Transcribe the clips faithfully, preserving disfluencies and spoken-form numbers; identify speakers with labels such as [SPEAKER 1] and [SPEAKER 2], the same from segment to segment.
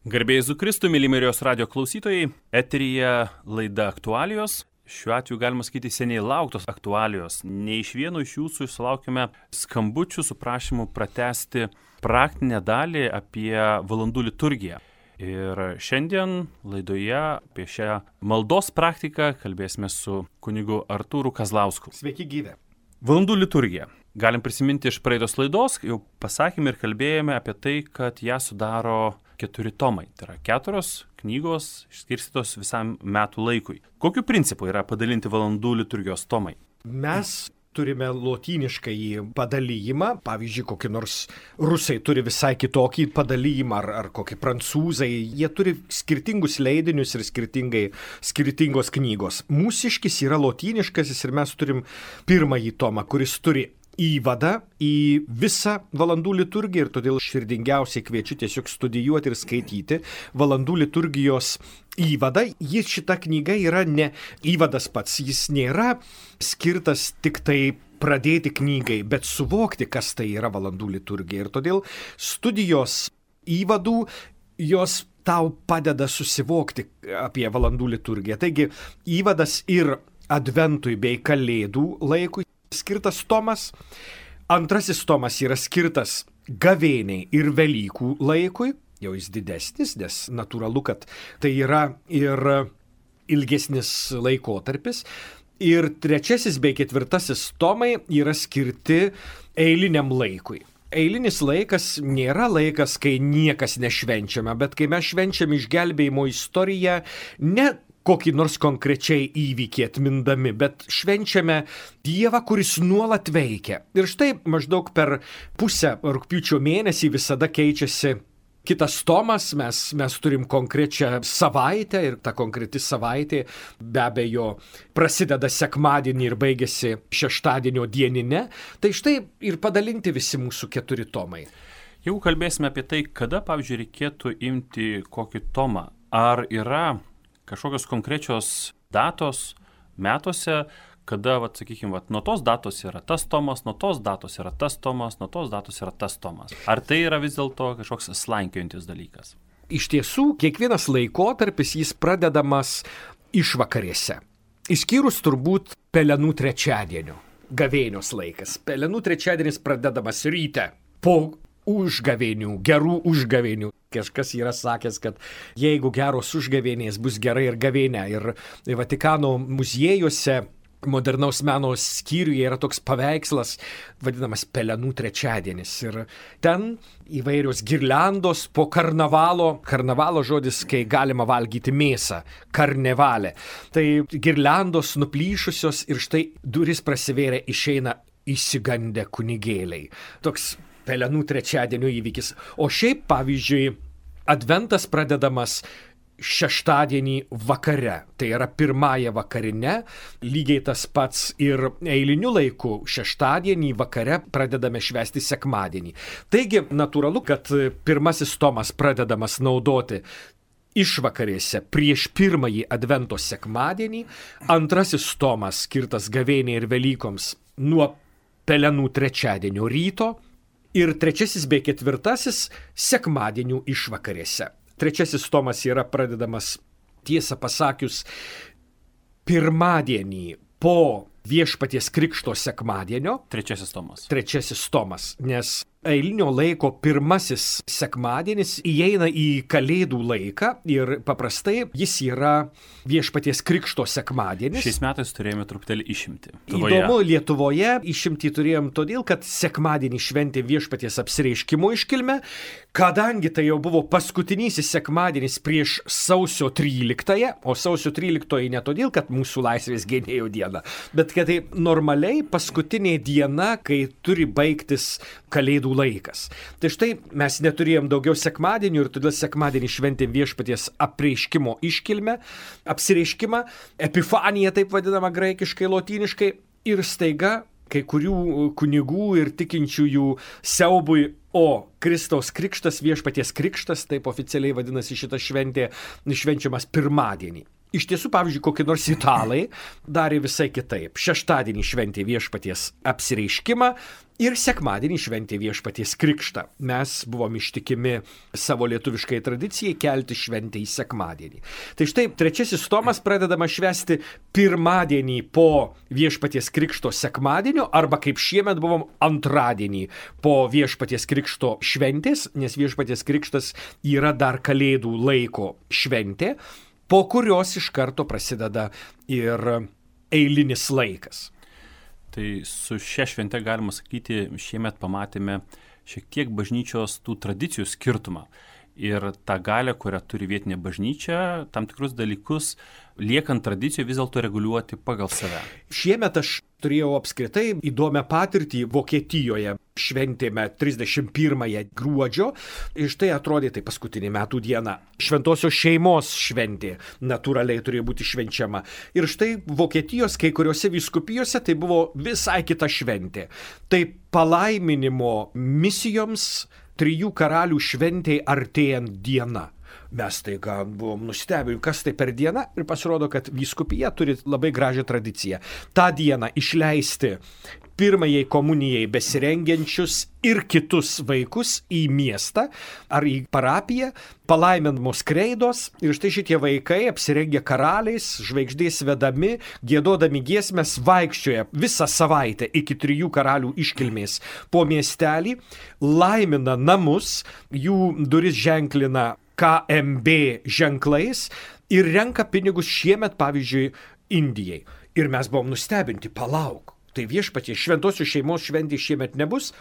[SPEAKER 1] Garbėjai Jėzui Kristui, myli Marijos radijo klausytojai, eteryje laida aktualijos. Šiuo atveju galima sakyti seniai lauktos aktualijos. Ne iš vieno iš jūsų sulaukime skambučių su prašymu pratęsti praktinę dalį apie valandų liturgiją. Ir šiandien laidoje apie šią maldos praktiką kalbėsime su kunigu Artūru Kazlausku.
[SPEAKER 2] Sveiki gyvi.
[SPEAKER 1] Valandų liturgija. Galim prisiminti iš praeitos laidos, jau pasakėme ir kalbėjome apie tai, kad ją sudaro keturi tomai. Tai yra keturios knygos išskirstytos visam metų laikui. Kokiu principu yra padalinti valandų liturgijos tomai?
[SPEAKER 2] Mes turime lotyniškąjį padalijimą, pavyzdžiui, kokį nors rusai turi visai kitokį padalijimą, ar, ar kokį prancūzai, jie turi skirtingus leidinius ir skirtingai, skirtingos knygos. Mūsiškis yra lotyniškasis ir mes turim pirmąjį tomą, kuris turi įvadą į visą valandų liturgiją ir todėl širdingiausiai kviečiu tiesiog studijuoti ir skaityti valandų liturgijos įvadą. Jis šita knyga yra ne įvadas pats, jis nėra skirtas tik tai pradėti knygai, bet suvokti, kas tai yra valandų liturgija. Ir todėl studijos įvadų jos tau padeda susivokti apie valandų liturgiją. Taigi įvadas ir adventui bei kalėdų laikui skirtas tomas. Antrasis tomas yra skirtas gavėniai ir Velykų laikui. Jau jis didesnis, nes natūralu, kad tai yra ir ilgesnis laikotarpis. Ir trečiasis bei ketvirtasis tomai yra skirti eiliniam laikui. Eilinis laikas nėra laikas, kai niekas nešvenčiame, bet kai mes švenčiame išgelbėjimo istoriją, ne kokį nors konkrečiai įvykį atmindami, bet švenčiame Dievą, kuris nuolat veikia. Ir štai maždaug per pusę rugpjūčio mėnesį visada keičiasi kitas tomas, mes, mes turim konkrečią savaitę ir ta konkreti savaitė be abejo prasideda sekmadienį ir baigėsi šeštadienio dienine. Tai štai ir padalinti visi mūsų keturi tomai.
[SPEAKER 1] Jeigu kalbėsime apie tai, kada, pavyzdžiui, reikėtų imti kokį tomą, ar yra kažkokios konkrečios datos metuose, kada, vat, sakykime, vat, nuo tos datos yra tas tomas, nuo tos datos yra tas tomas, nuo tos datos yra tas tomas. Ar tai yra vis dėlto kažkoks slankiojantis dalykas?
[SPEAKER 2] Iš tiesų, kiekvienas laikotarpis jis pradedamas išvakarėse. Išskyrus turbūt pelenų trečiadienio, gavėnios laikas. Pelenų trečiadienis pradedamas ryte po užgavėnių, gerų užgavėnių. Kažkas yra sakęs, kad jeigu geros užgavėnės bus gerai ir gavėnė. Ir Vatikano muziejuose modernaus meno skyriuje yra toks paveikslas, vadinamas pelenų trečiadienis. Ir ten įvairios girliandos po karnavalo. Karnavalo žodis, kai galima valgyti mėsą. Karnevalė. Tai girliandos nuplyšusios ir štai duris prasivėrė, išeina išsigandę kunigėliai. Toks pelenų trečiadienio įvykis. O šiaip, pavyzdžiui, adventas pradedamas šeštadienį vakare. Tai yra pirmąją vakarinę. Lygiai tas pats ir eiliniu laiku šeštadienį vakare pradedame švęsti sekmadienį. Taigi, natūralu, kad pirmasis tomas pradedamas naudoti išvakarėse prieš pirmąjį advento sekmadienį. Antrasis tomas skirtas gavėniai ir Velykoms nuo pelenų trečiadienio ryto. Ir trečiasis bei ketvirtasis sekmadienių išvakarėse. Trečiasis tomas yra pradedamas, tiesą pasakius, pirmadienį po Viešpaties Krikšto sekmadienio.
[SPEAKER 1] Trečiasis tomas.
[SPEAKER 2] Trečiasis tomas, nes eilinio laiko pirmasis sekmadienis įeina į kalėdų laiką ir paprastai jis yra Viešpaties Krikšto sekmadienis.
[SPEAKER 1] Šiais metais turėjome truputėlį išimti.
[SPEAKER 2] Įdomu, Lietuvoje išimti turėjom todėl, kad sekmadienį šventė Viešpaties apsireiškimo iškilmę, kadangi tai jau buvo paskutinysis sekmadienis prieš sausio tryliktąją, o sausio tryliktoji ne todėl, kad mūsų laisvės gynėjo diena, bet kad tai normaliai paskutinė diena, kai turi baigtis kalėdų laikas. Tai štai mes neturėjom daugiau sekmadienių ir todėl sekmadienį šventėm Viešpaties apreiškimo iškilmę, apsireiškimą, epifanija taip vadinama graikiškai, lotyniškai, ir staiga kai kurių kunigų ir tikinčiųjų siaubui, o Kristaus krikštas, Viešpaties krikštas, taip oficialiai vadinasi šita šventė, švenčiamas pirmadienį. Iš tiesų, pavyzdžiui, kokie nors italai darė visai kitaip. Šeštadienį šventė viešpaties apsireiškimą ir sekmadienį šventė viešpaties krikštą. Mes buvom ištikimi savo lietuviškai tradicijai kelti šventę į sekmadienį. Tai štai trečiasis tomas pradedama švęsti pirmadienį po viešpaties krikšto sekmadienio, arba kaip šiemet buvom antradienį po viešpaties krikšto šventės, nes viešpaties krikštas yra dar kalėdų laiko šventė, po kurios iš karto prasideda ir eilinis laikas.
[SPEAKER 1] Tai su šia švente, galima sakyti, šiemet pamatėme šiek tiek bažnyčios tų tradicijų skirtumą. Ir tą galę, kurią turi vietinė bažnyčia, tam tikrus dalykus, liekant tradicijų, vis dėlto reguliuoti pagal save.
[SPEAKER 2] Šiemet aš turėjau apskritai įdomią patirtį Vokietijoje. Šventėme trisdešimt pirmąją gruodžio ir štai atrodė tai paskutinė metų diena. Šventosios šeimos šventė natūraliai turėjo būti švenčiama. Ir štai Vokietijos kai kuriuose vyskupijose tai buvo visai kita šventė. Tai palaiminimo misijoms trijų karalių šventėj artėjant diena. Mes tai gal buvom nustebę, kas tai per dieną, ir pasirodo, kad vyskupija turi labai gražią tradiciją. Ta diena išleisti pirmajai komunijai besirengiančius ir kitus vaikus į miestą ar į parapiją, palaiminamos kreidos, ir štai šitie vaikai apsirengę karaliais, žvaigždės vedami, giedodami giesmes, vaikščioja visą savaitę iki trijų karalių iškilmės po miestelį, laimina namus, jų duris ženklina K M B ženklais ir renka pinigus šiemet, pavyzdžiui, Indijai. Ir mes buvom nustebinti, palauk, tai viešpatie šventosios šeimos šventė šiemet nebus,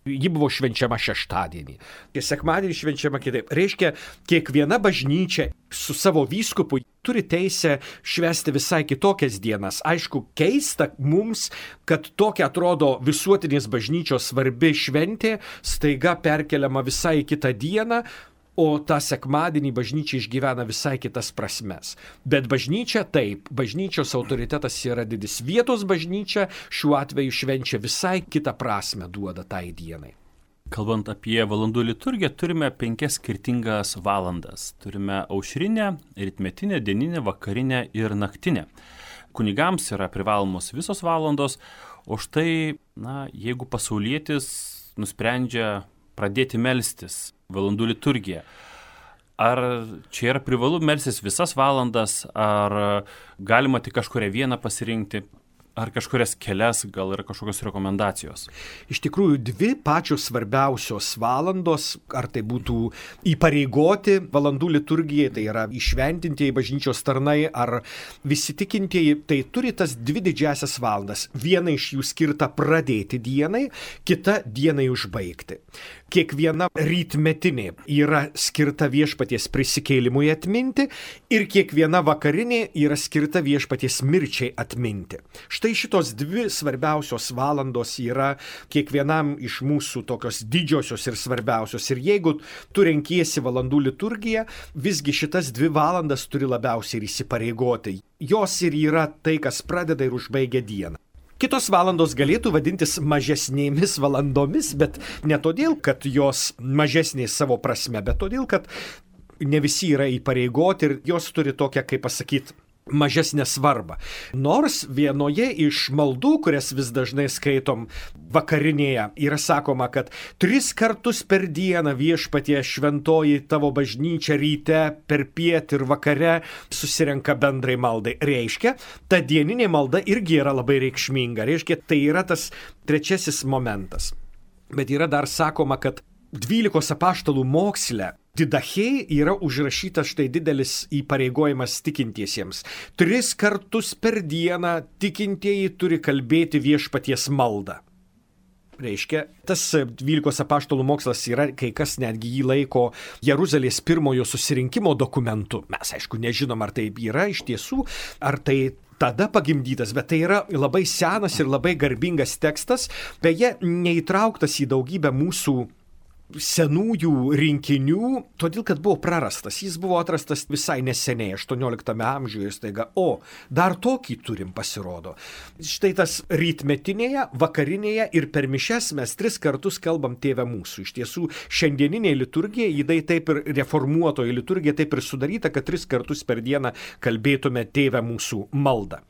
[SPEAKER 2] ji buvo švenčiama šeštadienį. Ir sekmadienį švenčiama kitaip. Reiškia, kiekviena bažnyčia su savo vyskupu turi teisę švęsti visai kitokias dienas. Aišku, keista mums, kad tokia atrodo visuotinės bažnyčios svarbi šventė staiga perkeliama visai kitą dieną, o tą sekmadienį bažnyčia išgyvena visai kitas prasmes. Bet bažnyčia taip, bažnyčios autoritetas yra didis. Vietos bažnyčia šiuo atveju švenčia visai kitą prasme duoda tai dienai.
[SPEAKER 1] Kalbant apie valandų liturgiją, turime penkias skirtingas valandas. Turime aušrinę, rytmetinę, dieninę, vakarinę ir naktinę. Kunigams yra privalomos visos valandos, o štai, na, jeigu pasaulietis nusprendžia pradėti melstis valandų liturgiją, ar čia yra privalu melstis visas valandas, ar galima tik kažkurią vieną pasirinkti, ar kažkurias kelias, gal yra kažkokios rekomendacijos?
[SPEAKER 2] Iš tikrųjų, dvi pačios svarbiausios valandos, ar tai būtų įpareigoti valandų liturgijai, tai yra įšventintieji bažnyčios tarnai, ar visi tikintieji, tai turi tas dvi didžiasias valandas. Viena iš jų skirta pradėti dienai, kita dienai užbaigti. Kiekviena rytmetinė yra skirta viešpaties prisikėlimui atminti ir kiekviena vakarinė yra skirta viešpaties mirčiai atminti. Štai šitos dvi svarbiausios valandos yra kiekvienam iš mūsų tokios didžiosios ir svarbiausios. Ir jeigu tu renkiesi valandų liturgiją, visgi šitas dvi valandas turi labiausiai ir įsipareigoti. Jos ir yra tai, kas pradeda ir užbaigia dieną. Kitos valandos galėtų vadintis mažesnėmis valandomis, bet ne todėl, kad jos mažesnės savo prasme, bet todėl, kad ne visi yra įpareigoti ir jos turi tokią, kaip pasakyti, mažesnę svarbą. Nors vienoje iš maldų, kurias vis dažnai skaitom vakarinėje, yra sakoma, kad tris kartus per dieną viešpatie šventoji tavo bažnyčia ryte, per piet ir vakare susirenka bendrai maldai. Reiškia, ta dieninė malda irgi yra labai reikšminga. Reiškia, tai yra tas trečiasis momentas. Bet yra dar sakoma, kad dvylikos apaštalų moksle Didachėj yra užrašytas štai didelis įpareigojimas tikintiesiems. Tris kartus per dieną tikintieji turi kalbėti viešpaties maldą. Reiškia, tas dvylikos apaštalų mokslas yra, kai kas netgi jį laiko Jeruzalės pirmojo susirinkimo dokumentu. Mes, aišku, nežinom, ar taip yra iš tiesų, ar tai tada pagimdytas, bet tai yra labai senas ir labai garbingas tekstas, beje, neįtrauktas į daugybę mūsų senųjų rinkinių, todėl kad buvo prarastas. Jis buvo atrastas visai neseniai, aštuonioliktame amžiuje ir staiga, o, dar tokį turim pasirodo. Štai tas rytmetinėje, vakarinėje ir per mišias mes tris kartus kalbam Tėve mūsų. Iš tiesų, šiandieninė liturgija, jinai taip ir reformuotoji liturgija taip ir sudaryta, kad tris kartus per dieną kalbėtume Tėve mūsų maldą.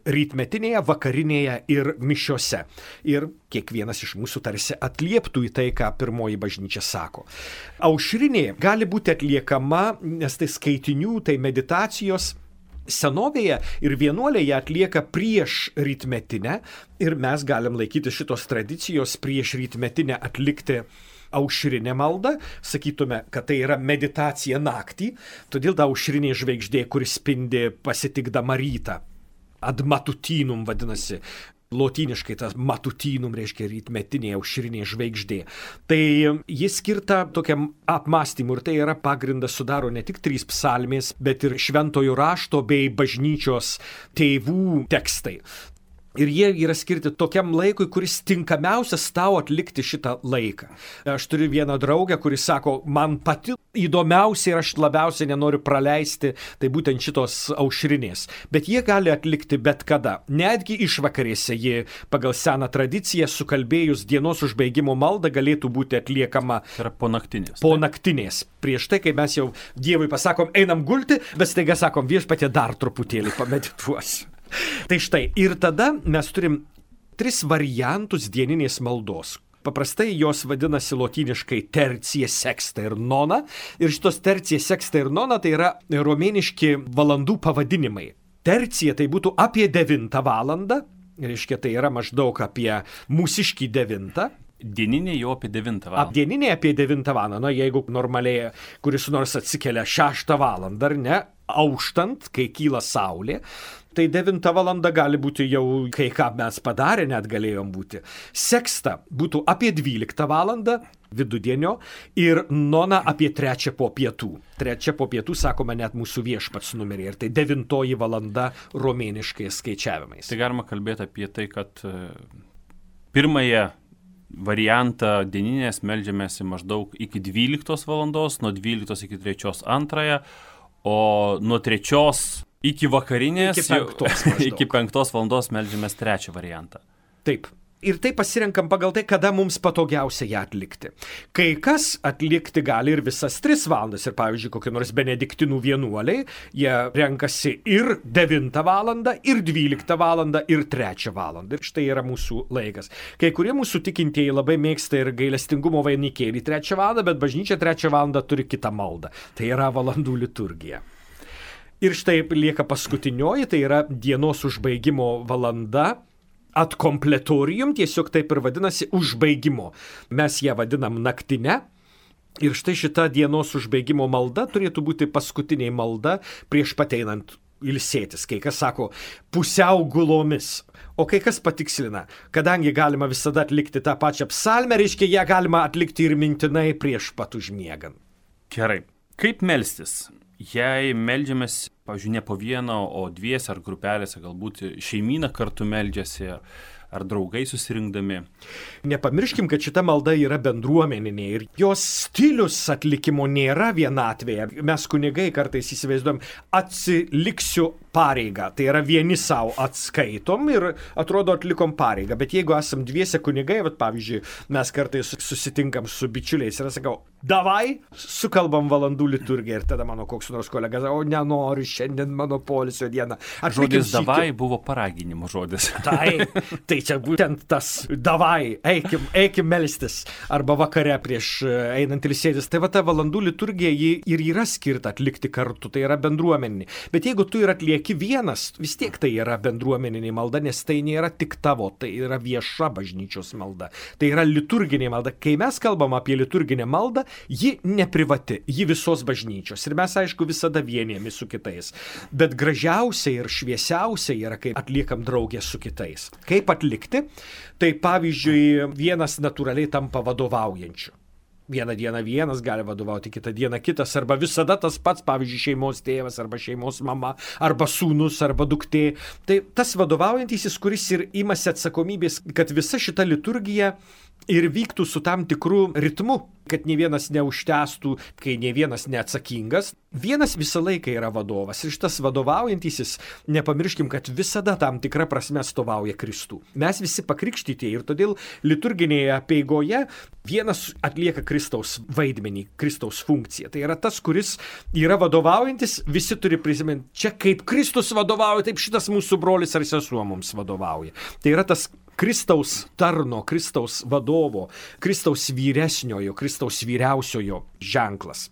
[SPEAKER 2] Rytmetinėje, vakarinėje ir mišiose. Ir kiekvienas iš mūsų tarsi atlieptų į tai, ką pirmoji bažnyčia sako. Aušrinė gali būti atliekama, nes tai skaitinių, tai meditacijos. Senovėje ir vienuoliai ją atlieka prieš rytmetinę ir mes galim laikyti šitos tradicijos prieš rytmetinę atlikti aušrinę maldą, sakytume, kad tai yra meditacija naktį, todėl ta aušrinė žvaigždė, kuris spindi pasitikdama rytą. Ad matutinum vadinasi, lotyniškai tas matutinum reiškia rytmetinė aušrinė žvaigždė. Tai jis skirta tokiam apmąstymui ir tai yra pagrindas sudaro ne tik trys psalmės, bet ir šventojo rašto bei bažnyčios tėvų tekstai. Ir jie yra skirti tokiam laikui, kuris tinkamiausias tau atlikti šitą laiką. Aš turiu vieną draugę, kuris sako, man pati įdomiausia ir aš labiausiai nenoriu praleisti, tai būtent šitos aušrinės. Bet jie gali atlikti bet kada. Netgi išvakarėse jie pagal seną tradiciją sukalbėjus dienos užbaigimo maldą galėtų būti atliekama.
[SPEAKER 1] Tai yra po naktinės.
[SPEAKER 2] Po naktinės. Prieš tai, kai mes jau Dievui pasakom, einam gulti, bet staiga sakom, viešpatie dar truputėlį pamedituosiu. Tai štai, ir tada mes turim tris variantus dieninės maldos. Paprastai jos vadinasi lotyniškai tercija, sexta ir nona. Ir šitos tercija, sexta ir nona tai yra romėniški valandų pavadinimai. Tercija tai būtų apie devintą valandą, reiškia tai yra maždaug apie mūsiškį devintą.
[SPEAKER 1] Dieninė jau apie devintą valandą.
[SPEAKER 2] Dieninė apie devintą valandą, na jeigu normaliai kuris nors atsikelia šeštą valandą, ar ne, auštant, kai kyla saulė, tai devintą valandą gali būti jau, kai ką mes padarė, net galėjom būti. Seksta būtų apie dvyliktą valandą vidudienio ir nona apie trečią po pietų. Trečia po pietų, sakoma, net mūsų viešpats numerį ir tai devintoji valanda romėniškai skaičiavimais.
[SPEAKER 1] Tai galima kalbėti apie tai, kad pirmąją variantą dieninės meldžiamės maždaug iki dvyliktos valandos, nuo dvyliktos iki trečios antrąją, o nuo trečios iki vakarinės,
[SPEAKER 2] iki penktos,
[SPEAKER 1] iki penktos valandos meldžiamės trečią variantą.
[SPEAKER 2] Taip. Ir tai pasirenkam pagal tai, kada mums patogiausia ją atlikti. Kai kas atlikti gali ir visas tris valandas. Ir pavyzdžiui, kokie nors benediktinų vienuoliai, jie renkasi ir devintą valandą, ir dvyliktą valandą, ir trečią valandą. Ir štai yra mūsų laikas. Kai kurie mūsų tikintieji labai mėgsta ir gailestingumo vainikėlį trečią valandą, bet bažnyčia trečią valandą turi kitą maldą. Tai yra valandų liturgija. Ir štai lieka paskutinioji, tai yra dienos užbaigimo valanda. Ad completorium, tiesiog taip ir vadinasi užbaigimo. Mes ją vadinam naktinę. Ir štai šita dienos užbaigimo malda turėtų būti paskutinė malda prieš pateinant ilsėtis. Kai kas sako pusiau gulomis. O kai kas patikslina, kadangi galima visada atlikti tą pačią psalmę, reiškia, ją galima atlikti ir mintinai prieš pat užmiegant.
[SPEAKER 1] Gerai. Kaip melstis? Jei meldžiamės, pavyzdžiui, ne po vieną, o dvies ar grupelėse, galbūt šeimyna kartu meldžiasi, ar draugai susirinkdami.
[SPEAKER 2] Nepamirškim, kad šita malda yra bendruomeninė ir jos stilius atlikimo nėra vienatvėje. Mes kunigai kartais įsivaizduojam, atsiliksiu pareigą. Tai yra vieni savo atskaitom ir atrodo atlikom pareigą. Bet jeigu esam dviese kunigai, vat, pavyzdžiui, mes kartais susitinkam su bičiuliais ir sakau, davai, sukalbam valandų liturgiją ir tada mano koks nors kolega, o nenoriu, šiandien mano poilsio diena.
[SPEAKER 1] Žodis davai buvo paraginimo žodis.
[SPEAKER 2] Tai, tai čia būtent tas davai, eikim, eikim melstis arba vakare prieš einant ilsėtis. Tai va ta valandų liturgija ji ir yra skirta atlikti kartu, tai yra bendruomeninė. Bet jeigu tu ir atlieki vienas, vis tiek tai yra bendruomeninė malda, nes tai nėra tik tavo, tai yra vieša bažnyčios malda. Tai yra liturginė malda. Kai mes kalbam apie liturginę maldą, ji neprivati, ji visos bažnyčios. Ir mes, aišku, visada vienėmi su kitais. Bet gražiausia ir šviesiausia yra, kai atliekam draugę su kitais. Kaip atlikti? Tai pavyzdžiui, vienas natūraliai tampa vadovaujančiu. Vieną dieną vienas gali vadovauti, kitą dieną kitas, arba visada tas pats, pavyzdžiui, šeimos tėvas, arba šeimos mama, arba sūnus, arba duktė. Tai tas vadovaujantysis, kuris ir imasi atsakomybės, kad visa šita liturgija ir vyktų su tam tikru ritmu, kad ne vienas neužtęstų, kai ne vienas neatsakingas. Vienas visą laiką yra vadovas ir šitas vadovaujantysis, nepamirškim, kad visada tam tikra prasme atstovauja Kristų. Mes visi pakrikštyti ir todėl liturginėje apeigoje vienas atlieka Kristaus vaidmenį, Kristaus funkciją. Tai yra tas, kuris yra vadovaujantis, visi turi prisiminti, čia kaip Kristus vadovauja, taip šitas mūsų brolis ar sesuo mums vadovauja. Tai yra tas Kristaus tarno, Kristaus vadovo, Kristaus vyresniojo, Kristaus vyriausiojo ženklas.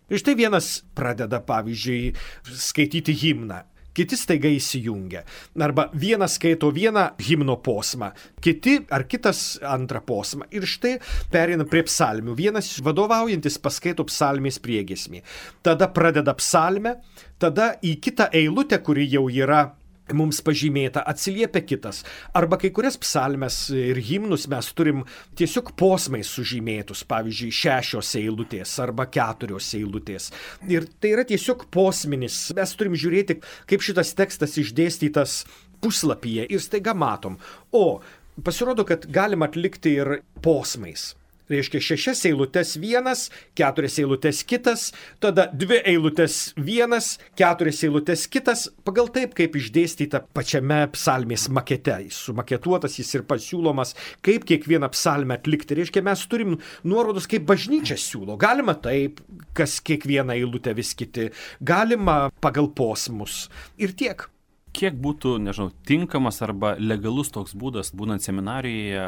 [SPEAKER 2] Ir štai vienas pradeda, pavyzdžiui, skaityti himną, kiti staiga įsijungia. Arba vienas skaito vieną himno posmą, kiti ar kitas antrą posmą. Ir štai pereina prie psalmių. Vienas vadovaujantis paskaito psalmės priegiesmį. Tada pradeda psalmę, tada į kitą eilutę, kuri jau yra mums pažymėta, atsiliepia kitas. Arba kai kurias psalmes ir himnus mes turim tiesiog posmais sužymėtus, pavyzdžiui, šešios eilutės arba keturios eilutės. Ir tai yra tiesiog posminis. Mes turim žiūrėti, kaip šitas tekstas išdėstytas puslapyje ir staiga matom. O pasirodo, kad galima atlikti ir posmais. Reiškia šešias eilutes vienas, keturias eilutes kitas, tada dvi eilutes vienas, keturias eilutes kitas, pagal taip, kaip išdėstyta pačiame psalmės makete. Sumaketuotas jis ir pasiūlomas, kaip kiekvieną psalmę atlikti. Reiškia, mes turim nuorodus, kaip bažnyčia siūlo. Galima taip, kas kiekvieną eilutę vis kiti, galima pagal posmus ir tiek.
[SPEAKER 1] Kiek būtų, nežinau, tinkamas arba legalus toks būdas, būnant seminarijoje,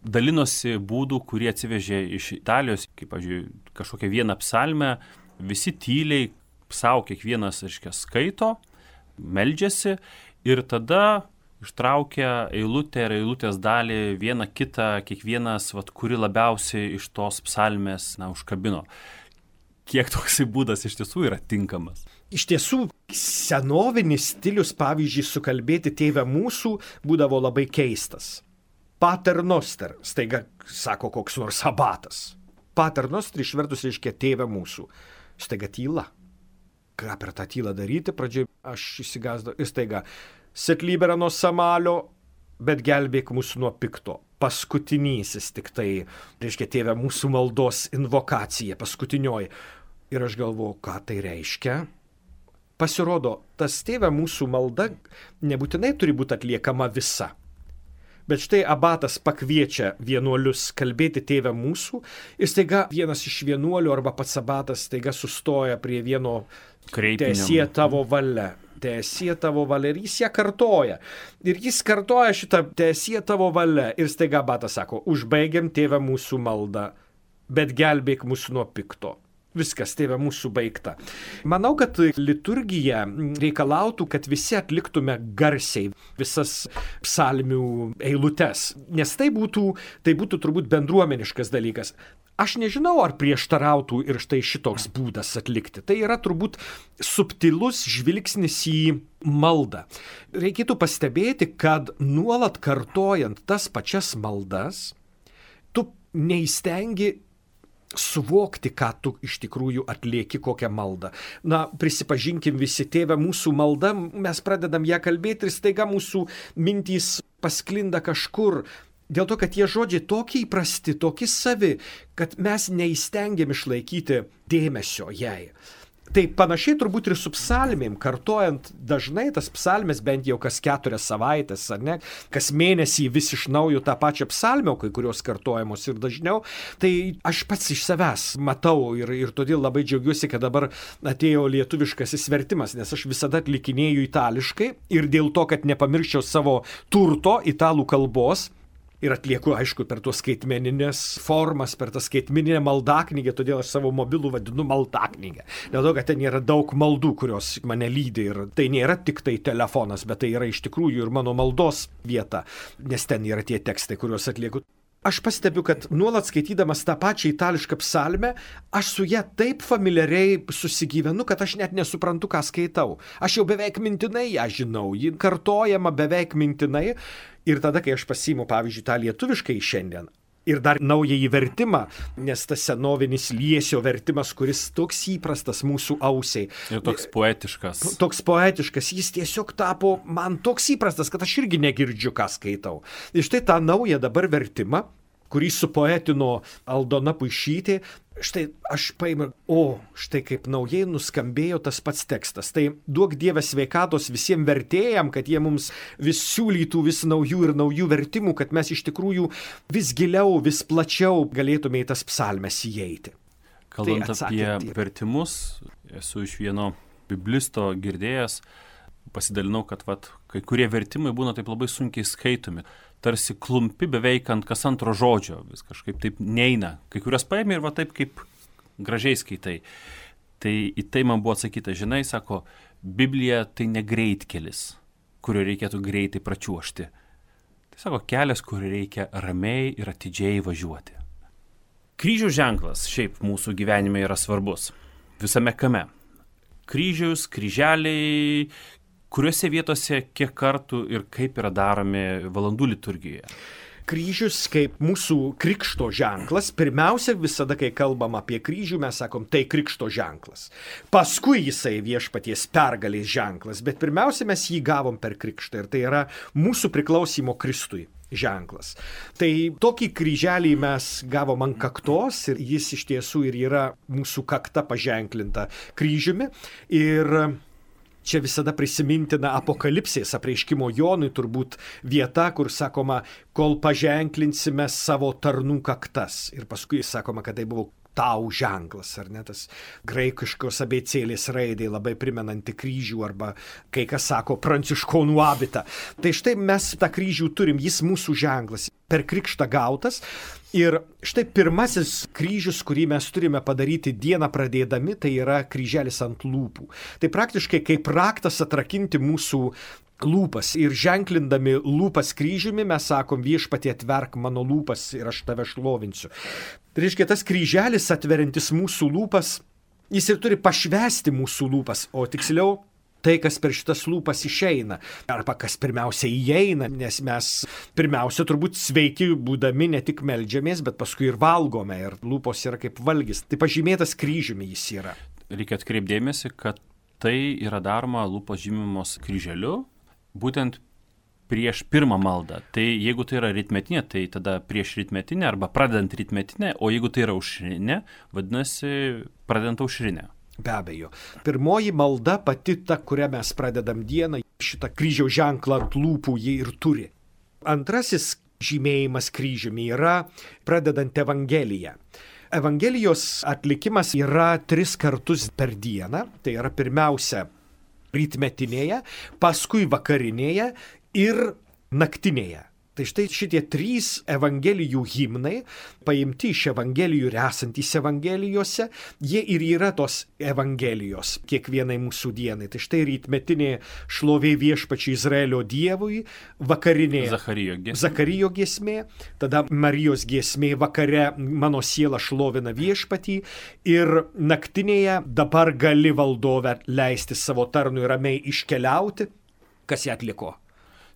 [SPEAKER 1] dalinosi būdų, kurie atsivežė iš Italijos, kaip, pavyzdžiui, kažkokią vieną psalmę, visi tyliai savo kiekvienas, reiškia, skaito, meldžiasi ir tada ištraukia eilutę ir eilutės dalį vieną kitą, kiekvienas, vat, kuri labiausiai iš tos psalmės, na, užkabino. Kiek toksai būdas iš tiesų yra tinkamas?
[SPEAKER 2] Iš tiesų, senovinis stilius, pavyzdžiui, sukalbėti Tėve mūsų būdavo labai keistas. Pater noster, staiga sako koks nors abatas. Pater noster išvertus reiškia Tėve mūsų. Staiga tyla. Ką per tą tylą daryti? Pradžiai aš įsigasdau ir staiga. Set libera nuo samalio, bet gelbėk mūsų nuo pikto. Paskutinysis tik tai, reiškia Tėve mūsų maldos invokacija, paskutinioji. Ir aš galvoju, ką tai reiškia? Pasirodo, tas Tėve mūsų malda nebūtinai turi būti atliekama visa. Bet štai abatas pakviečia vienuolius kalbėti Tėve mūsų ir staiga vienas iš vienuolių arba pats abatas staiga sustoja prie vieno teesie tavo valia. Teesie tavo valia ir jis ją kartoja. Ir jis kartoja šitą teesie tavo valia ir staiga abatas sako, užbaigiam Tėve mūsų maldą, bet gelbėk mūsų nuo pikto. Viskas, Tėve mūsų baigta. Manau, kad liturgija reikalautų, kad visi atliktume garsiai visas psalmių eilutes, nes tai būtų, tai būtų turbūt bendruomeniškas dalykas. Aš nežinau, ar prieštarautų ir štai šitoks būdas atlikti. Tai yra turbūt subtilus žvilgsnis į maldą. Reikėtų pastebėti, kad nuolat kartojant tas pačias maldas, tu neįstengi suvokti, ką tu iš tikrųjų atlieki, kokią maldą. Na, prisipažinkim visi, Tėve mūsų malda, mes pradedam ją kalbėti ir staiga mūsų mintys pasklinda kažkur. Dėl to, kad tie žodžiai tokie įprasti, tokie savi, kad mes neįstengiam išlaikyti dėmesio jai. Tai panašiai turbūt ir su psalmėm, kartojant dažnai tas psalmės bent jau kas keturias savaitės, ar ne, kas mėnesį vis iš naujo tą pačią psalmę, kai kurios kartojamos ir dažniau, tai aš pats iš savęs matau ir, ir todėl labai džiaugiuosi, kad dabar atėjo lietuviškasis vertimas, nes aš visada atlikinėju itališkai ir dėl to, kad nepamirščiau savo turto italų kalbos, ir atlieku, aišku, per tuos skaitmeninės formas, per tą skaitmeninę maldaknygę, todėl aš savo mobilų vadinu maldaknygę. Dėl to, kad ten yra daug maldų, kurios mane lydi ir tai nėra tik tai telefonas, bet tai yra iš tikrųjų ir mano maldos vieta, nes ten yra tie tekstai, kuriuos atlieku. Aš pastebiu, kad nuolat skaitydamas tą pačią itališką psalmę, aš su ją taip familiariai susigyvenu, kad aš net nesuprantu, ką skaitau. Aš jau beveik mintinai ją žinau, ji kartojama beveik mintinai. Ir tada, kai aš pasiimu, pavyzdžiui, tą lietuviškai šiandien ir dar naująjį vertimą, nes tas senovinis Liesio vertimas, kuris toks įprastas mūsų ausiai.
[SPEAKER 1] Ir toks poetiškas.
[SPEAKER 2] Toks poetiškas, jis tiesiog tapo man toks įprastas, kad aš irgi negirdžiu, ką skaitau. Ir štai tą naują dabar vertimą, kurį supoetino Aldona Puišytė. Štai aš paėmiau, o štai kaip naujai nuskambėjo tas pats tekstas. Tai duok Dieve sveikatos visiems vertėjams, kad jie mums vis siūlytų vis naujų ir naujų vertimų, kad mes iš tikrųjų vis giliau, vis plačiau galėtume į tas psalmes įeiti.
[SPEAKER 1] Kalbant tai apie tie vertimus, esu iš vieno biblisto girdėjęs, pasidalinau, kad vat, kai kurie vertimai būna taip labai sunkiai skaitomi. Tarsi klumpi beveik ant kas antro žodžio, vis kažkaip taip neina. Kai kurias paėmė ir va taip kaip gražiai skaitai. Tai į tai man buvo atsakyta, žinai, sako, Biblija tai ne greitkelis, kurio reikėtų greitai pračiuošti. Tai sako, kelias, kur reikia ramiai ir atidžiai važiuoti. Kryžių ženklas šiaip mūsų gyvenime yra svarbus. Visame kame. Kryžius, kryželiai, kuriuose vietose, kiek kartų ir kaip yra daromi valandų liturgijoje?
[SPEAKER 2] Kryžius kaip mūsų krikšto ženklas. Pirmiausia, visada, kai kalbam apie kryžių, mes sakom, tai krikšto ženklas. Paskui jisai viešpaties pergalės ženklas, bet pirmiausia, mes jį gavom per krikštą ir tai yra mūsų priklausimo Kristui ženklas. Tai tokį kryželį mes gavom ant kaktos ir jis iš tiesų ir yra mūsų kakta paženklinta kryžiumi. Ir čia visada prisimintina Apokalipsės apreiškimo Jonui turbūt vieta, kur sakoma, kol paženklinsime savo tarnų kaktas. Ir paskui sakoma, kad tai buvo tau ženklas, ar ne, tas graikiškos abėcėlės raidė labai primenanti kryžių arba kai kas sako pranciškonų abitą. Tai štai mes tą kryžių turim, jis mūsų ženklas, per krikštą gautas. Ir štai pirmasis kryžius, kurį mes turime padaryti dieną pradėdami, tai yra kryželis ant lūpų. Tai praktiškai kaip raktas atrakinti mūsų lūpas ir ženklindami lūpas kryžiumi mes sakom, viešpatie atverk mano lūpas ir aš tave šlovinsiu. Tai reiškia, tas kryželis atveriantis mūsų lūpas, jis ir turi pašvesti mūsų lūpas, o tiksliau tai, kas per šitas lūpas išeina, arba kas pirmiausia įeina, nes mes pirmiausia turbūt sveiki būdami ne tik meldžiamės, bet paskui ir valgome ir lūpos yra kaip valgis. Tai pažymėtas kryžiumi jis yra.
[SPEAKER 1] Reikia atkreipdėmėsi, kad tai yra daroma lūpos žymimos kryželiu, būtent prieš pirmą maldą. Tai jeigu tai yra rytmetinė, tai tada prieš rytmetinę arba pradedant rytmetinę, o jeigu tai yra aušrinė, vadinasi pradedant aušrinę.
[SPEAKER 2] Be abejo. Pirmoji malda pati ta, kurią mes pradedam dieną, šitą kryžiaus ženklą ant lūpų jį ir turi. Antrasis žymėjimas kryžiumi yra pradedant Evangeliją. Evangelijos atlikimas yra tris kartus per dieną, tai yra pirmiausia rytmetinėje, paskui vakarinėje ir naktinėje. Tai štai šitie trys evangelijų himnai, paimti iš evangelijų ir esantys evangelijose, jie ir yra tos evangelijos kiekvienai mūsų dienai. Tai štai rytmetinė šlovė viešpačiui Izraelio Dievui, vakarinė
[SPEAKER 1] Zacharijo giesmė.
[SPEAKER 2] Zacharijo giesmė, tada Marijos giesmė vakare mano siela šlovina viešpatį ir naktinėje dabar gali valdove leisti savo tarnui ramiai iškeliauti. Kas ją atliko?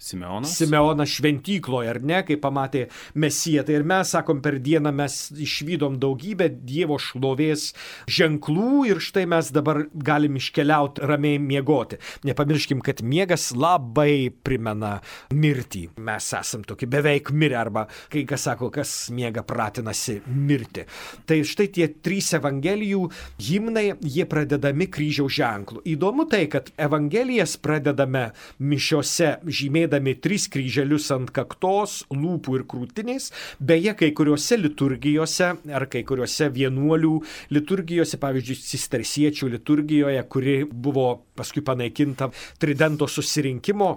[SPEAKER 1] Simeonas.
[SPEAKER 2] Simeonas šventykloje, ar ne, kai pamatė Mesiją. Tai ir mes, sakom, per dieną mes išvydom daugybę Dievo šlovės ženklų ir štai mes dabar galim iškeliauti ramiai miegoti. Nepamirškim, kad miegas labai primena mirtį. Mes esam tokie beveik mirę arba kai kas sako, kas miega pratinasi mirti. Tai štai tie trys evangelijų himnai, jie pradedami kryžiaus ženklu. Įdomu tai, kad evangelijas pradedame mišiose žymėdami tris kryželius ant kaktos, lūpų ir krūtinės. Beje, kai kuriuose liturgijose ar kai kuriuose vienuolių liturgijose, pavyzdžiui, cistersiečių liturgijoje, kuri buvo paskui panaikinta Tridento susirinkimo,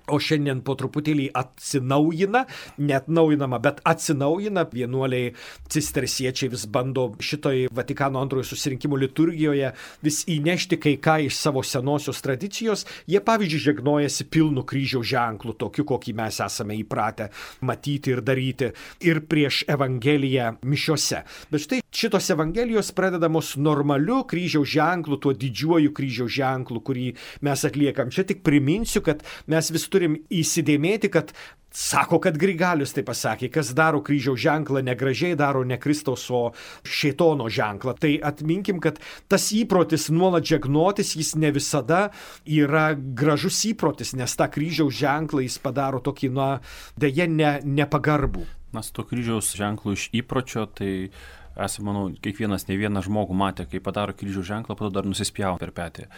[SPEAKER 2] o šiandien po truputėlį atsinaujina, net naujinama, bet atsinaujina. Vienuoliai cistersiečiai vis bando šitoj Vatikano antrojo susirinkimo liturgijoje vis įnešti kai ką iš savo senosios tradicijos. Jie, pavyzdžiui, žegnojasi pilnu kryžiaus ženklu, tokiu, kokį mes esame įpratę matyti ir daryti ir prieš evangeliją mišiose. Bet štai šitos evangelijos pradedamos normaliu kryžiaus ženklu, tuo didžiuoju kryžiaus ženklu, kurį mes atliekam. Čia tik priminsiu, kad mes vis turim įsidėmėti, kad sako, kad Grigalius tai pasakė, kas daro kryžiaus ženklą negražiai, daro ne Kristaus, o šėtono ženklą. Tai atminkim, kad tas įprotis nuolat žegnotis, jis ne visada yra gražus įprotis, nes tą kryžiaus ženklą jis padaro tokį, na, deja, ne, nepagarbų.
[SPEAKER 1] Na, su to kryžiaus ženklu iš įpročio, tai esame, manau, kiekvienas, ne vieną žmogų matė, kai padaro kryžiaus ženklą, po to dar nusispjavo per petį.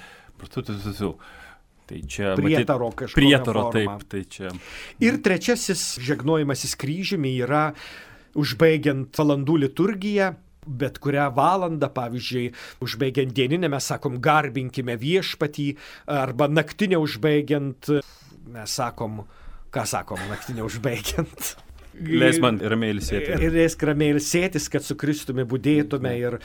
[SPEAKER 1] Tai čia
[SPEAKER 2] prietaro kažkokia
[SPEAKER 1] prietaro,
[SPEAKER 2] forma.
[SPEAKER 1] Taip, tai čia.
[SPEAKER 2] Ir trečiasis žegnojimasis kryžiumi yra užbaigiant valandų liturgiją, bet kurią valandą, pavyzdžiui, užbaigiant dieninę, mes sakom, garbinkime viešpatį, arba naktinę užbaigiant, mes sakom, ką sakom, naktinę užbaigiant.
[SPEAKER 1] Leisk man ramiai ilsėtis.
[SPEAKER 2] Ir leisk ramiai ilsėtis, kad su Kristumi budėtume. Ir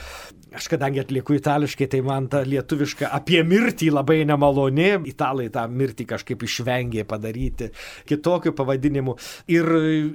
[SPEAKER 2] aš kadangi atlieku itališkai, tai man ta lietuviška apie mirtį labai nemaloni. Italai tą mirtį kažkaip išvengė padaryti kitokiu pavadinimu. Ir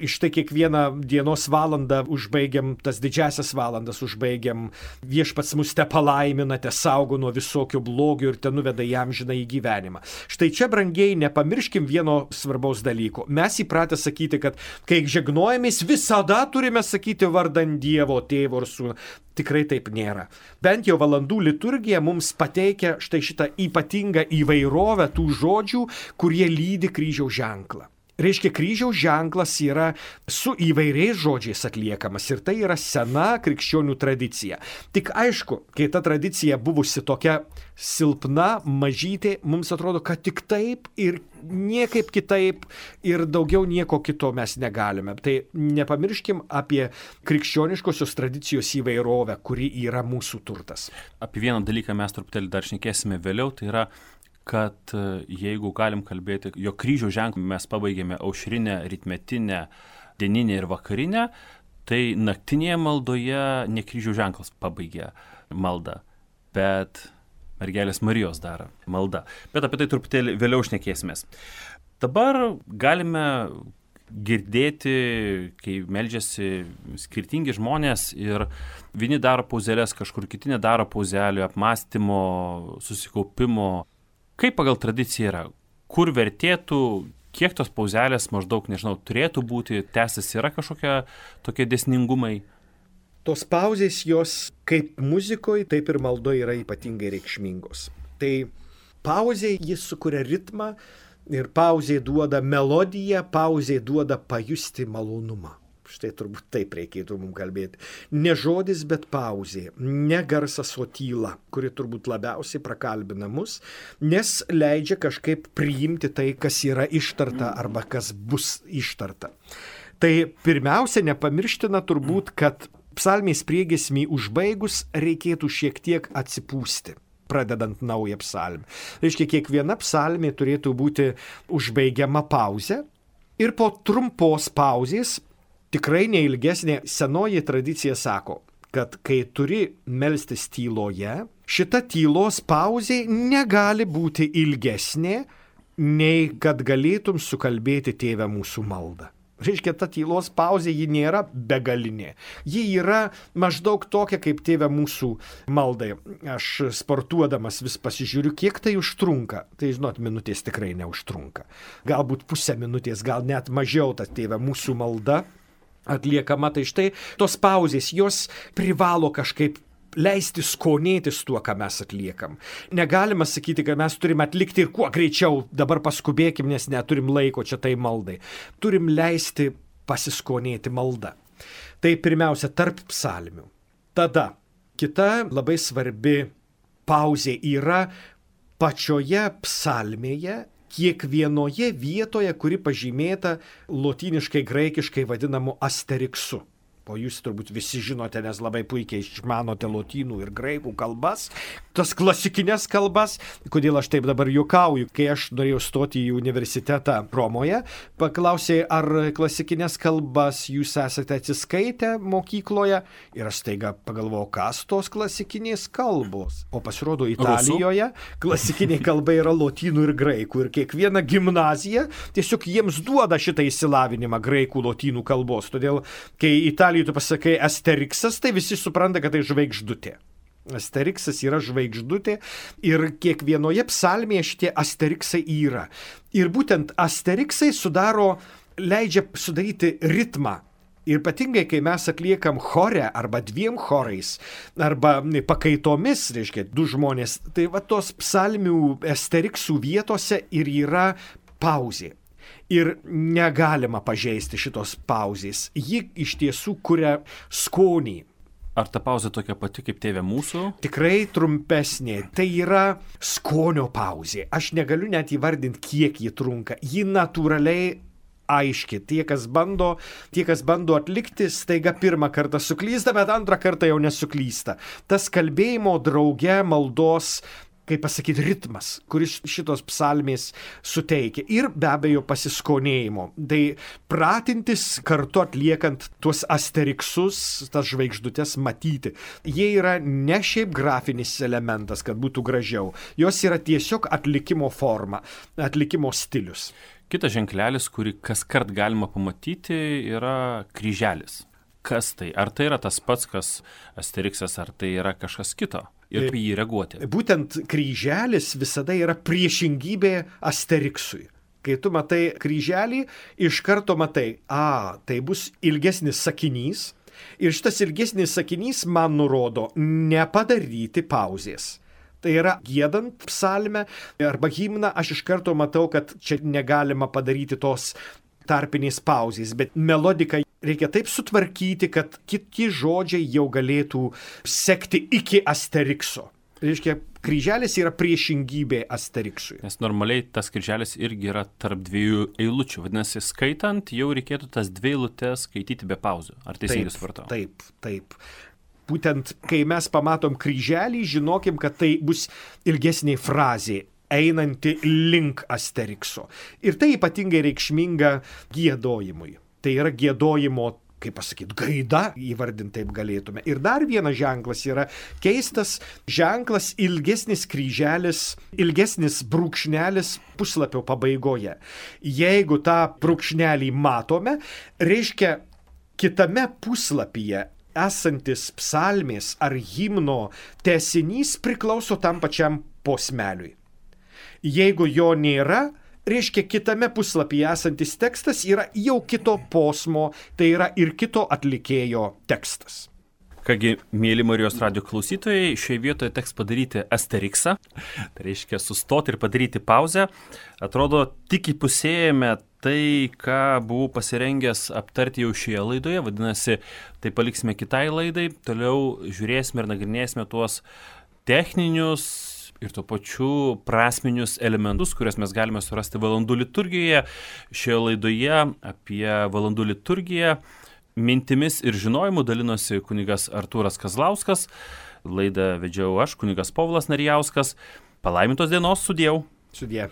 [SPEAKER 2] iš tai kiekvieną dienos valandą užbaigiam, tas didžiasias valandas užbaigiam. Viešpats mus te palaimina, te saugo nuo visokio blogio ir te nuveda į amžiną į gyvenimą. Štai čia, brangiai, nepamirškim vieno svarbaus dalyko. Mes įpratę sakyti, kad kai žegnojamės, visada turime sakyti vardan Dievo, Tėvo ir Sūnų. Tikrai taip nėra. Bent jau valandų liturgija mums pateikia štai šitą ypatingą įvairovę tų žodžių, kurie lydi kryžiaus ženklą. Reiškia, kryžiaus ženklas yra su įvairiais žodžiais atliekamas ir tai yra sena krikščionių tradicija. Tik aišku, kai ta tradicija buvusi tokia silpna, mažytė, mums atrodo, kad tik taip ir niekaip kitaip ir daugiau nieko kito mes negalime. Tai nepamirškim apie krikščioniškosios tradicijos įvairovę, kuri yra mūsų turtas.
[SPEAKER 1] Apie vieną dalyką mes truputėlį dar šnekėsime vėliau, tai yra kad jeigu galim kalbėti, jo kryžiaus ženklą mes pabaigėme aušrinę, rytmetinę, dieninę ir vakarinę, tai naktinėje maldoje ne kryžiaus ženklas pabaigė maldą, bet mergelės Marijos daro maldą. Bet apie tai truputėlį vėliau šnekėsimės. Dabar galime girdėti, kai meldžiasi skirtingi žmonės ir vieni daro pauzelės, kažkur kiti nedaro pauzelių, apmąstymo, susikaupimo. Kaip pagal tradiciją yra? Kur vertėtų, kiek tos pauzelės maždaug, nežinau, turėtų būti, tęsis yra kažkokie tokie dėsningumai?
[SPEAKER 2] Tos pauzės jos kaip muzikoje, taip ir maldoje yra ypatingai reikšmingos. Tai pauzė jis sukuria ritmą ir pauzė duoda melodiją, pauzė duoda pajusti malonumą. Štai turbūt taip reikėtų mums kalbėti. Ne žodis, bet pauzė, ne garsas, o tyla, kuri turbūt labiausiai prakalbina mus, nes leidžia kažkaip priimti tai, kas yra ištarta arba kas bus ištarta. Tai pirmiausia, nepamirština turbūt, kad psalmės priegiesmį užbaigus reikėtų šiek tiek atsipūsti, pradedant naują psalmę. Reiškia, kiekviena psalmė turėtų būti užbaigiama pauzė ir po trumpos pauzės, tikrai neilgesnė, senoji tradicija sako, kad kai turi melstis tyloje, šita tylos pauzė negali būti ilgesnė, nei kad galėtum sukalbėti Tėve mūsų maldą. Reiškia, ta tylos pauzė, ji nėra begalinė. Ji yra maždaug tokia, kaip Tėve mūsų maldai. Aš sportuodamas vis pasižiūriu, kiek tai užtrunka. Tai, žinot, minutės tikrai neužtrunka. Galbūt pusę minutės, gal net mažiau ta Tėve mūsų malda atliekama. Tai štai tos pauzės, jos privalo kažkaip leisti skonėtis tuo, ką mes atliekam. Negalima sakyti, kad mes turim atlikti ir kuo greičiau, dabar paskubėkim, nes neturim laiko čia tai maldai. Turim leisti pasiskonėti maldą. Tai pirmiausia, tarp psalmių. Tada kita labai svarbi pauzė yra pačioje psalmėje, kiekvienoje vietoje, kuri pažymėta lotyniškai, graikiškai vadinamu asteriksu. O jūs turbūt visi žinote, nes labai puikiai išmanote lotynų ir graikų kalbas, tas klasikinės kalbas. Kodėl aš taip dabar juokauju? Kai aš norėjau stoti į universitetą Romoje, paklausė, ar klasikinės kalbas jūs esate atsiskaitę mokykloje, ir aš staiga pagalvojau, kas tos klasikinės kalbos. O pasirodo, Italijoje klasikinė kalba yra lotynų ir graikų, ir kiekviena gimnazija tiesiog jiems duoda šitą išsilavinimą graikų lotynų kalbos. Todėl, kai Italijoje tu pasakai asteriksas, tai visi supranta, kad tai žvaigždutė. Asteriksas yra žvaigždutė ir kiekvienoje psalmėje šitie asteriksai yra. Ir būtent asteriksai sudaro, leidžia sudaryti ritmą. Ir ypatingai, kai mes atliekam chore arba dviem chorais, arba pakaitomis, reiškia, du žmonės, tai va tos psalmių asteriksų vietose ir yra pauzė. Ir negalima pažeisti šitos pauzės. Ji iš tiesų kuria skonį.
[SPEAKER 1] Ar ta pauzė tokia pati kaip Tėve mūsų?
[SPEAKER 2] Tikrai trumpesnė. Tai yra skonio pauzė. Aš negaliu net įvardinti, kiek ji trunka. Ji natūraliai aiški. Tie, kas bando, tie, kas bando atlikti, staiga pirmą kartą suklysta, bet antrą kartą jau nesuklysta. Tas kalbėjimo drauge maldos, kaip pasakyti, ritmas, kuris šitos psalmės suteikia. Ir be abejo pasiskonėjimo. Tai pratintis kartu atliekant tuos asteriksus, tas žvaigždutes matyti. Jie yra ne šiaip grafinis elementas, kad būtų gražiau. Jos yra tiesiog atlikimo forma, atlikimo stilius.
[SPEAKER 1] Kitas ženklelis, kurį kaskart galima pamatyti, yra kryželis. Kas tai? Ar tai yra tas pats, kas asteriksas, ar tai yra kažkas kito? Ir kaip jį reaguoti?
[SPEAKER 2] Būtent kryželis visada yra priešingybė asteriksui. Kai tu matai kryželį, iš karto matai, a, tai bus ilgesnis sakinys. Ir šitas ilgesnis sakinys man nurodo nepadaryti pauzės. Tai yra giedant psalmę arba himną, aš iš karto matau, kad čia negalima padaryti tos tarpinės pauzės, bet melodiką reikia taip sutvarkyti, kad kiti žodžiai jau galėtų sekti iki asterikso. Reiškia, kryželis yra priešingybė asteriksui.
[SPEAKER 1] Nes normaliai tas kryželis irgi yra tarp dviejų eilučių. Vadinasi, skaitant, jau reikėtų tas dvi eilutes skaityti be pauzių. Ar teisingai supratau?
[SPEAKER 2] Taip, taip. Būtent, kai mes pamatom kryželį, žinokim, kad tai bus ilgesnė frazė, einanti link asterikso. Ir tai ypatingai reikšminga giedojimui. Tai yra giedojimo, kaip pasakyti, gaida, įvardinti taip galėtume. Ir dar vienas ženklas yra keistas ženklas, ilgesnis kryželis, ilgesnis brūkšnelis puslapio pabaigoje. Jeigu tą brūkšnelį matome, reiškia kitame puslapyje esantis psalmės ar himno tęsinys priklauso tam pačiam posmeliui. Jeigu jo nėra, reiškia kitame puslapyje esantis tekstas yra jau kito posmo, tai yra ir kito atlikėjo tekstas.
[SPEAKER 1] Kągi, mėly Marijos radijo klausytojai, šioje vietoje teks padaryti asteriksą, tai reiškia sustoti ir padaryti pauzę. Atrodo, tik įpusėjame tai, ką buvau pasirengęs aptarti jau šioje laidoje, vadinasi, tai paliksime kitai laidai, toliau žiūrėsime ir nagrinėsime tuos techninius ir tuo pačiu prasminius elementus, kuriuos mes galime surasti valandų liturgijoje. Šioje laidoje apie valandų liturgiją mintimis ir žinojimu dalinosi kunigas Artūras Kazlauskas, laidą vedžiau aš, kunigas Povilas Narijauskas. Palaimintos dienos, sudieu.
[SPEAKER 2] Sudie.